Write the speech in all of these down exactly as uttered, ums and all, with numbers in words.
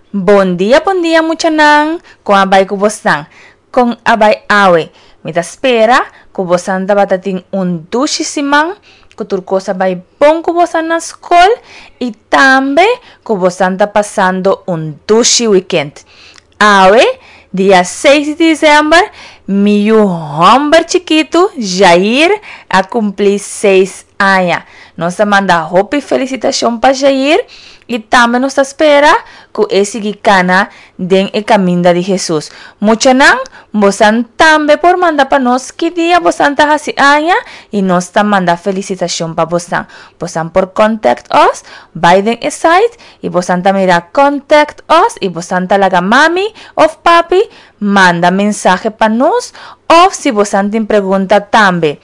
Bon dia, bon dia muchanan, kon a bai ku bosnan? Kon a bai awe? Mi ta spera ku bosan tabata tin un dushi siman, ku tur kos a bai bon ku bosan na skol i tambe ku bosan ta pasando un dushi wikènt. Awe, dia seis di desèmber, mi yu hòmber chikitu, Jair, a kumpli seis aña. Nos ta manda hopi felisitashon pa Jair i tambe nos ta spera ku e sigui kana den e kaminda di Hesus. Muchanan, bosan tambe por manda pa nos ki dia bosan ta hasi aña i nos ta manda felisitashon pa bosan. Bosan por contact us, bai den e site i bosan ta mira contact us i bosan ta laga mami òf papi manda mensahe pa nos òf si bosan tin pregunta tambe.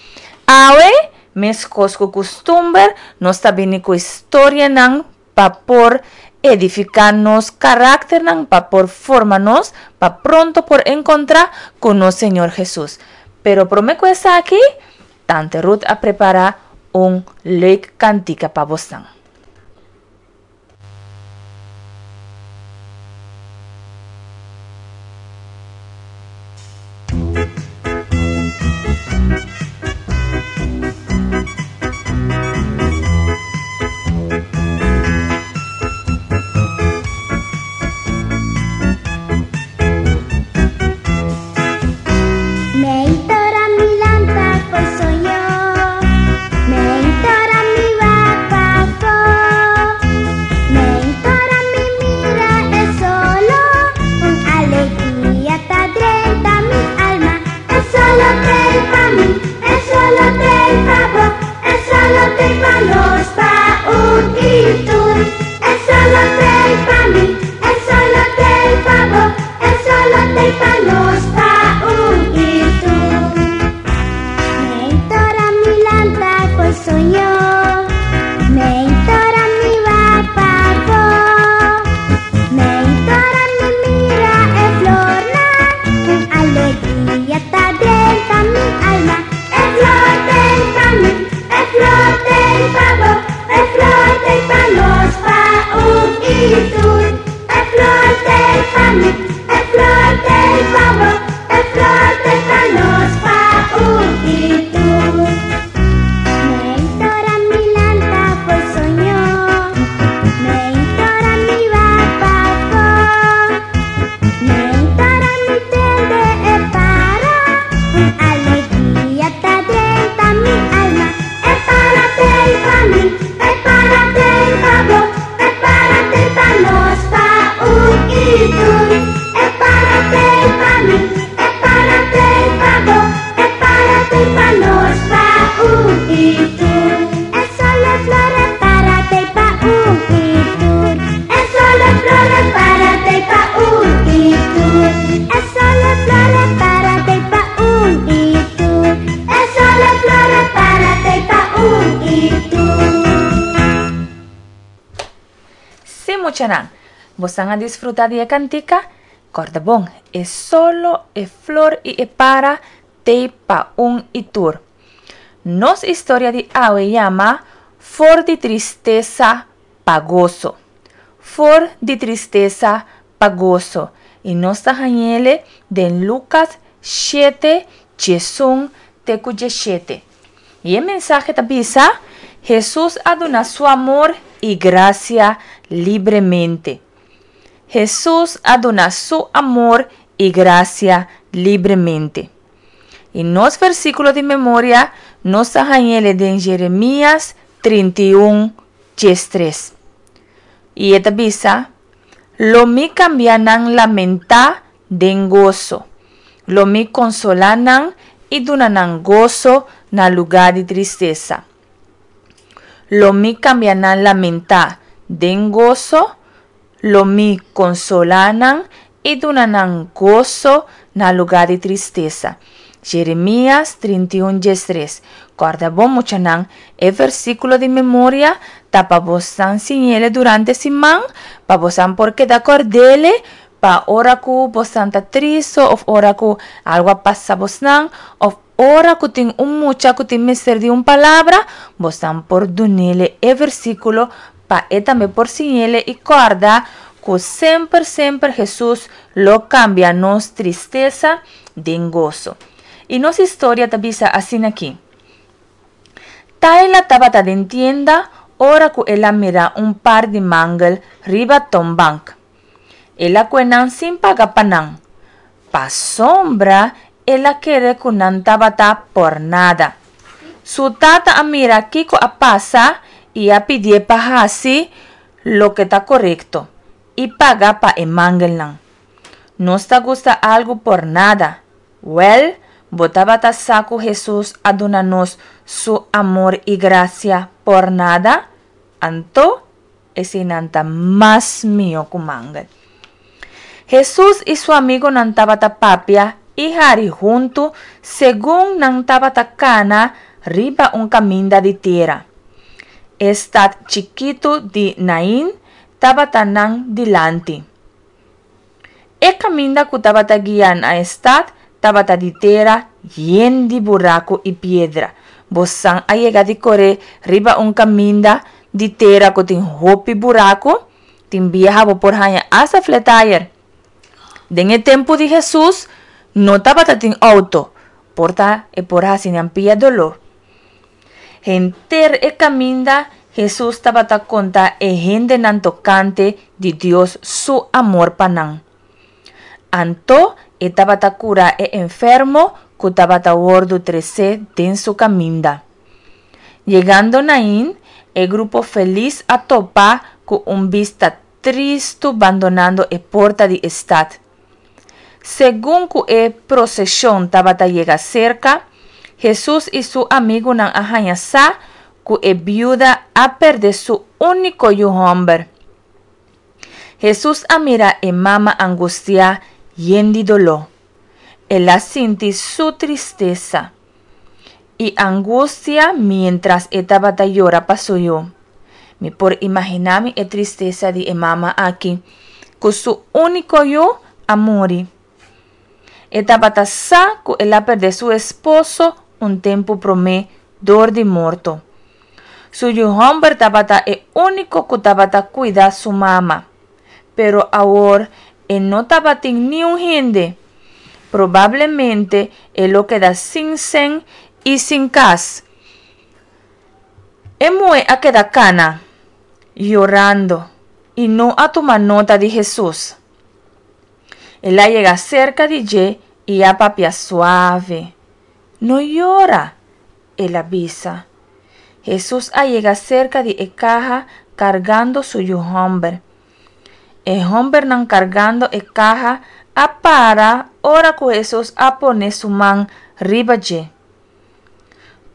Awe, meskos ku kustumber, nos ta bini ku historianan pa por edifiká nos karakternan, pa por forma nos, pa pronto por enkontrá ku nos Señor Hesus. Pero promé ku esaki, Tante Ruth a prepará un leuk kantika pa bosnan. Sí, muchanan, bosan a disfruta di e kantika? Kòrda bon, e solo, e flor i e para t'ei pa un i tur. Nos historia di awe yama For di tristesa pa goso. For di tristesa pa goso. I nos ta hañ'ele den Lukas shete, djesun te ku djeshete. I e mensahe ta bisa, Hesus a duna su amor i grasia libremente. Hesus a duna su amor i grasia libremente. I nos versíkulo di memoria nos ta hañ'ele den Jeremias trinta i un, diestres. I e ta bisa, Lo mi kambia nan lamentá den goso. Lo mi konsolá nan i duna nan goso na lugá di tristesa. Lo mi kambia nan lamentá den goso, lo mi konsolá nan i duna nan goso na lugá di tristesa. Jeremias trinta i un diestres. Kòrda bon muchanan, e versíkulo di memoria ta pa bosan siñ'ele durante siman, pa bosan por keda kòrd'ele pa ora ku bosan ta tristu òf ora ku algu a pasa bosnan òf ora ku tin un mucha ku tin mester di un palabra, bosan por dun'ele e versíkulo pa e tambe por siñ'ele i kòrda ku semper semper Hesus lo kambia nos tristesa den goso. I nos historia ta bisa asin'aki. Tayla tabata den tienda ora ku el a mira un par di mangel riba toonbank. El a kue nan sin paga pa nan. Pasobra el a kere ku nan tabata pòrnada. Su tata a mira kiko a pasa i a pidié pa hasi loke ta korekto i paga pa e mangelnan. Nos ta gusta algu pòrnada. Wèl, bo tabata sa ku Hesus a duna nos su amor i grasia pòrnada? Anto, eseinan ta mas mihó ku mangel. Hesus i su amigunan tabata papia i hari huntu segun nan tabata kana riba un kaminda di tera. E stat chikitu di Nain tabata nan dilanti. E kaminda ku tabata guia na e stat tabata di tera yen di buraku i piedra. Bosan a yega di kore riba un kaminda di tera ku tin hopi buraku? Tin biaha bo por haña asta flat tire. Den e tempu di Hesus no tabata tin outo, por ta e por hasi nan pia doló. Henter e kaminda Hesus tabata konta e hendenan tokante di Dios su amor pa nan. Anto e tabata kura e enfermo ku tabata wòrdu tresé den su kaminda. Yegando Nain, e grupo felis a topa ku un bista tristu bandonando e porta di e stat. Segun ku e proseshon tabata yega serka, Hesus i su amigunan a haña sa ku e biuda a pèrdè su úniko yu hòmber. Hesus a mira e mama angustiá yen di doló. El a sinti su tristesa i angustia miéntras e tabata yora pa su yu. Mi por imaginá mi e tristesa di e mama aki ku su úniko yu a muri. E tabata sa ku el a pèrdè su esposo un tempu promé dor di morto. Su yu hòmber tabata e úniko ku tabata kuida su mama. Pero awor e no tabatin niun hende. Probablemente e lo keda sin sèn i sin kas. E muhé a keda kana, yorando, i no a tuma nota di Hesus. El a yega serka di dje i a papia suave. No yora, el a bisa. Hesus a yega serka di e kaha kargando su yu hòmber. E hòmbernan kargando e kaha a para ora ku Hesus a pone su man riba dje.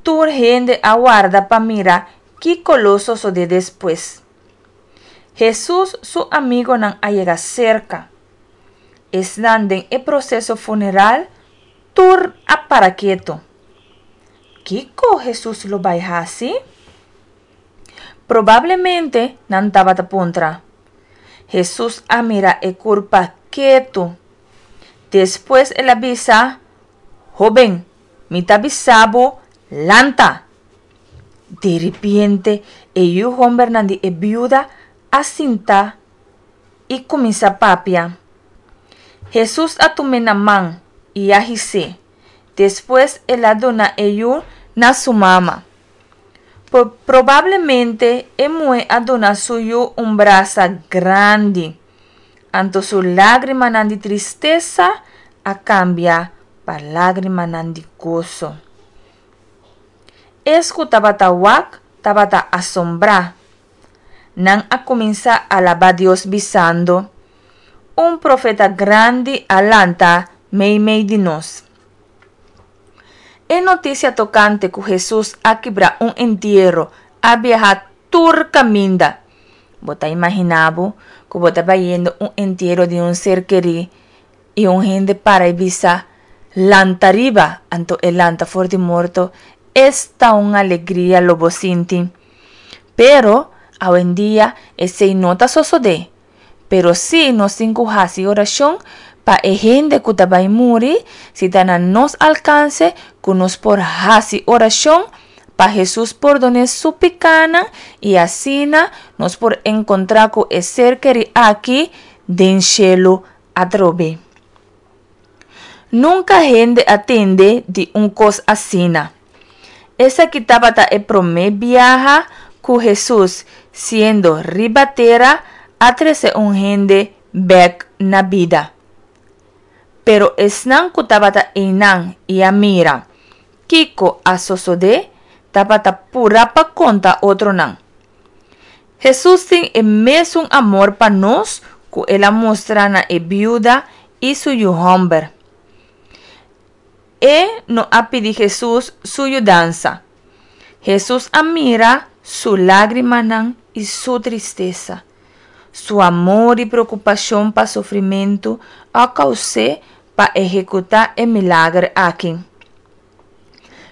Tur hende a warda pa mira kiko lo sosodé despues. Hesus su amigonan a yega serka. Esnan den e proseso funeral tur a para ketu. Kiko Hesus lo bai hasi? Probablemente nan tabata puntra. Hesus a mira e kurpa ketu. Despues el a bisa, Hóben, mi ta bisa bo, lanta! Diripiente e yu hòmbernan di e biuda a sinta i kuminsá papia. Hesus a tum'é na man i a his'é. Despues el a duna e yu na su mama. Probablemente e muhé a duna su yu un brasa grandi. Anto su lágrimanan di tristesa a kambia pa lágrimanan di goso. Es ku tabata wak tabata asombrá. Nan a kuminsá alabá Dios bisando, Un profeta grandi a lanta meimei di nos. E notisia tokante ku Hesus a kibra un entiero a biaha tur kaminda. Bo ta imaginá bo ku bo ta bayendo un entiero di un ser kerí i un hende para i bisa, Lanta riba! Anto e lanta for di morto. Esta un alegria lo bo sinti! Pero, awendia esei no ta sosodé. Pero sí nos tin ku hasi orashon pa e hende ku ta bai muri, si ta na nos alkanse ku nos por hasi orashon pa Hesus pordon'é su pikánan i asina nos por enkontrá ku e ser kerí aki den shelu atrobe. Nunka hende a tende di un kos asina. Esaki tabata e promé biaha ku Hesus, siendo riba tera, a trese un hende bèk na bida. Pero esnan ku tabata einan i a mira kiko a sosodé tabata purá pa konta otronan. Hesus tin e mesun amor pa nos ku el a mustra na e biuda i su yu hòmber. E no a pidi Hesus su yudansa. Hesus a mira su lágrimanan i su tristesa. Su amor i preokupashon pa sufrimentu a kous'é pa ehekutá e milager aki.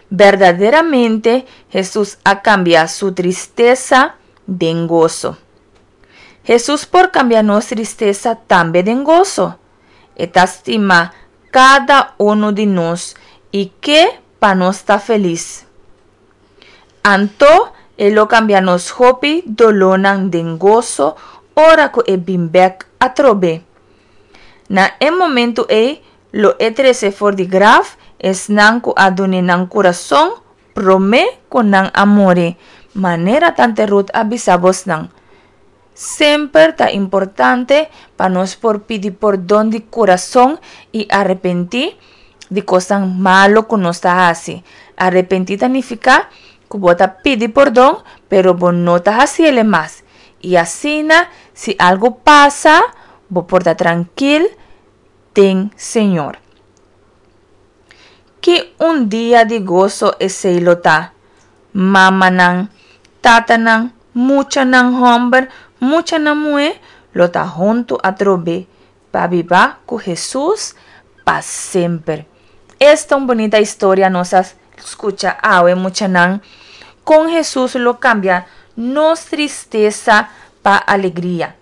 Berdaderamente Hesus a kambia su tristesa den goso. Hesus por kambia nos tristesa tambe den goso. E ta stima kada unu di nos i ke pa nos ta felis. Anto e lo kambia nos hopi dolónan den goso ora ku e bin bèk atrobe. Na e momentu ei lo e trese for di graf esnan ku a dun'é nan kurason promé ku nan a muri, manera Tante Ruth a bisa bosnan. Semper ta importante pa nos por pidi pordon di kurason i arepentí di kosnan malu ku nos ta hasi. Arepentí ta nifiká ku bo ta pidi pordon pero bo no ta hasiel mas. I asina si algu pasa bo por ta trankil den Señor. Ki un dia di goso esei lo ta! Mamanan, tatanan, muchanan hòmber, muchanan muhé lo ta huntu atrobe pa biba ku Hesus pa semper. Esta un bunita historia nos a skucha awe, muchanan, kon Hesus lo kambia nos tristesa pa alegria.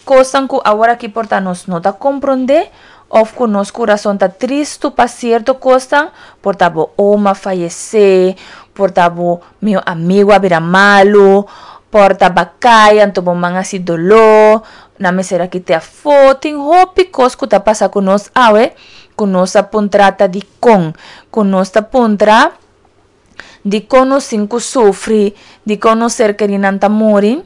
Kosnan ku aworakí por ta nos no ta komprondé òf ku nos kurason ta tristu pa sierto kosnan, por ta bo oma fayesé, por ta bo mihó amigu a bira malu, por ta b'a kai anto bo man hasi doló, nan mester a kit'é afó. Tin hopi kos ku ta pasa ku nos awe ku nos a puntra ta dikon, ku nos ta puntra dikon nos tin ku sufri, dikon nos ser kerinan ta muri,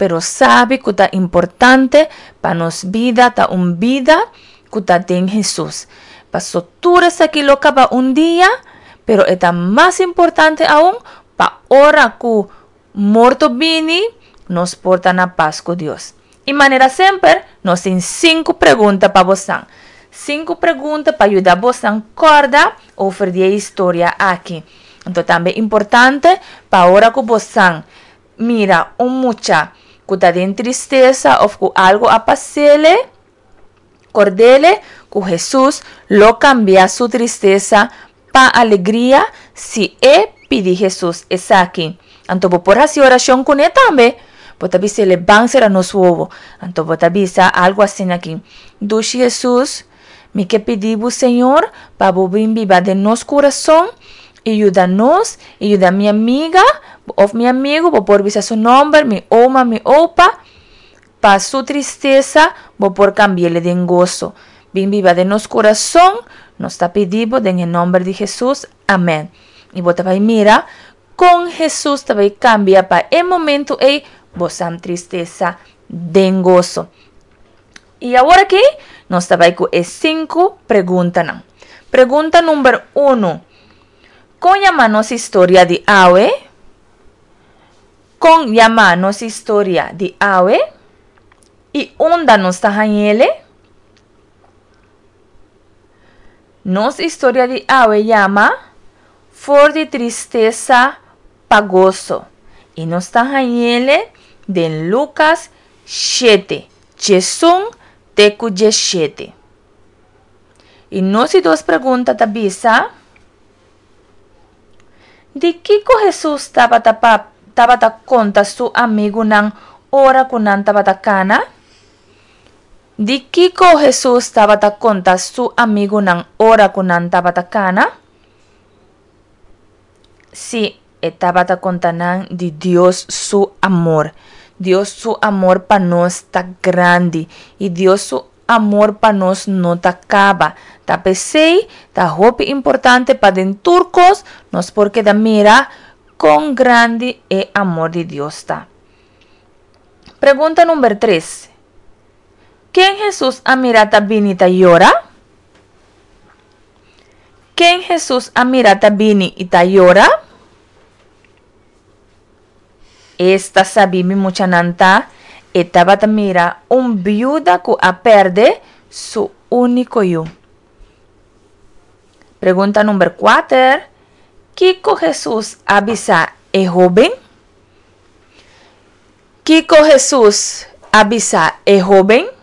pero sabi ku ta importante pa nos bida ta un bida ku ta den Hesus. Paso tur esaki lo kaba un dia, pero e ta mas importante aun pa ora ku morto bini, nos por ta na pas ku Dios. I manera semper, nos tin sinku pregunta pa bosan. Sinku pregunta pa yuda bosan kòrda over di e historia aki. Anto tambe importante pa ora ku bosan mira un mucha ku ta den tristesa òf ku algu a pas'ele, kord'ele ku Hesus lo kambia su tristesa pa alegria si e pidi Hesus esaki. Anto bo por hasi orashon kuné tambe. Bo ta bis'ele ban sera nos wowo. Anto bo ta bisa algu asina aki, Dushi Hesus, mi ke pidi bo Señor pa bo bin biba den nos kurason i yuda nos i yuda mi amiga òf mi amigu, bo por bisa su nòmber, mi oma, mi opa, pa su tristesa bo por kambi'el den goso. Bin biba den nos kurason, nos ta pidi bo den e nòmber di Hesus, amèn. I bo ta bai mira kon Hesus ta bai kambia pa e momentu ei bosan tristesa den goso. I awor aki nos ta bai ku e sinku preguntanan. Pregunta number unu, Kon yama nos historia di awe? Kon yama nos historia di awe? I unda nos ta hañ'ele? Nos historia di awe yama For di tristesa pa goso i nos ta hañ'ele den Lukas shete, djesun te ku djeshete. I nos di dos pregunta ta bisa, Di kiko Hesus tabata tabata konta su amigunan ora ku nan tabata kana? Di kiko Hesus tabata konta su amigunan ora ku nan tabata kana? Sí, E tabata konta nan di Dios su amor. Dios su amor pa nos ta grandi i Dios su amor pa nos no ta kaba. Ta p'esei ta hopi importante pa den tur kos nos por keda mira kon grandi e amor di Dios ta. Pregunta number tres. Ken Hesus a mira ta bini ta yora? Ken Hesus a mira ta bini i ta yora? Esta sabí mi muchanan ta, e tabata mira un biuda ku a pèrdè su úniko yu. Pregunta number kuater, Kiko Hesus a bisa e hóben? Kiko Hesus a bisa e hóben?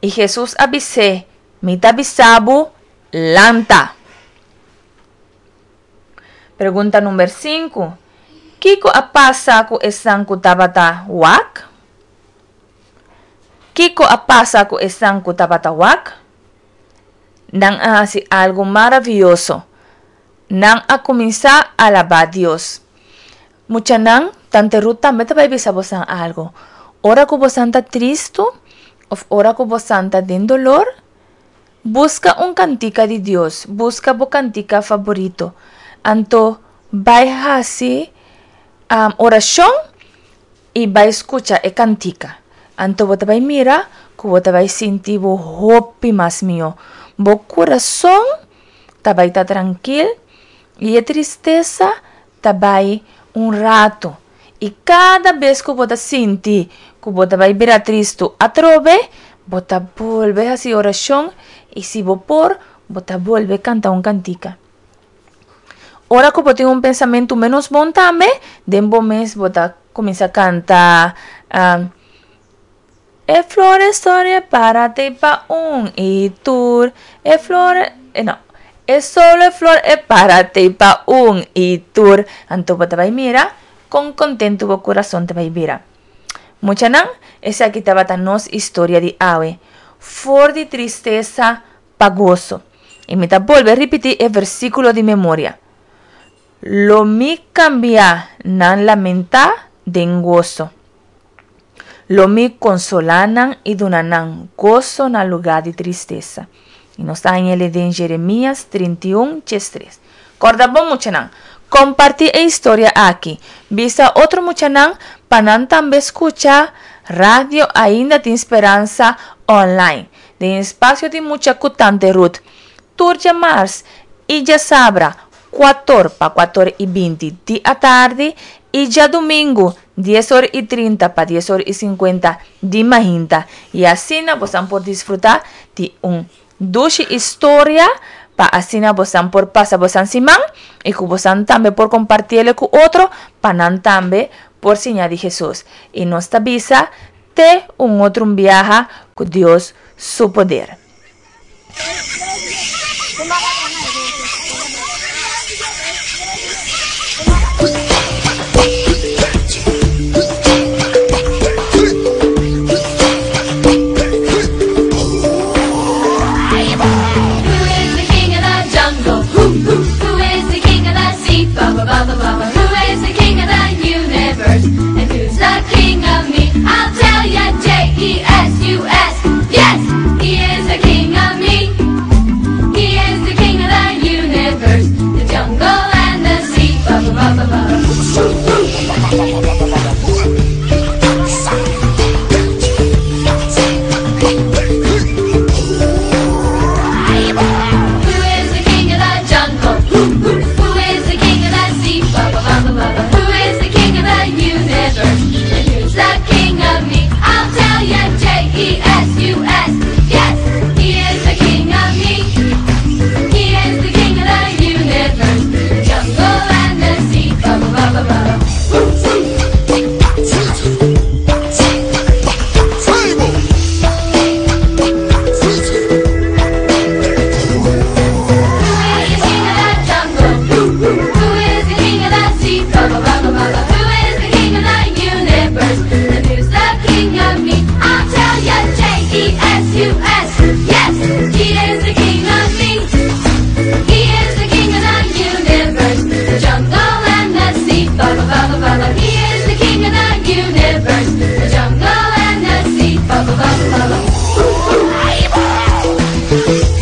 I Hesus a bis'é, Mi ta bisa bo, lanta! Pregunta number sinku, Kiko a pasa ku esnan ku tabata wak? Kiko a pasa ku esnan ku tabata wak? Nan a hasi algu maravioso. Nan a kuminsá alabá Dios. Muchanan, Tante Ruth tambe ta bai bisa bosan algu. Ora ku bosan ta tristu òf ora ku bosan ta den dolor, buska un kantika di Dios, buska bo kantika faborito. Anto bai hasi orashon i bai skucha e kantika. Anto bo ta bai mira ku bo ta bai sinti bo hopi mas mihó. Bo kurason ta bai ta trankil i e tristesa ta bai un ratu. I kada bes ku bo ta sinti ku bo ta bai bira tristu atrobe, bo ta bolbe hasi orashon i si bo por, bo ta bolbe kanta un kantika. Ora ku bo tin un pensamentu ménos bon tambe, den bo mes bo ta kuminsá kanta, E flor e storia para te pa un i tur e flor e no e solo e flor e para te pa un i tur. Anto bo ta bai mira kon kontentu bo kurason ta bai bira. Muchanan, esaki tabata nos historia di awe, For di tristesa pa goso. I mi ta bolbe ripití e versíkulo di memoria, Lo mi kambia nan lamentá den goso. Lo mi konsolá nan i duna nan goso na lugá di tristesa. I nos ta haña el den Jeremías trinta i un, djes tres. Kòrda bon, muchanan, kompartí e historia aki. Bisa otro muchanan pa nan tambe skucha Radio Ainda Tin Speransa online den espasio di mucha ku Tante Ruth tur djamars i djasabra kuator pa kuator i binti di atardi i djadumingu dies or i trinta pa dies or i sinkuenta di mainta i asina bosan por disfruta di un dushi historia pa asina bosan por pasa bosan siman i ku bosan tambe por kompartiele ku otro pa nan tambe por siña di Hesus. I nos ta bisa te un otro un biaha ku Dios su poder. Thank you.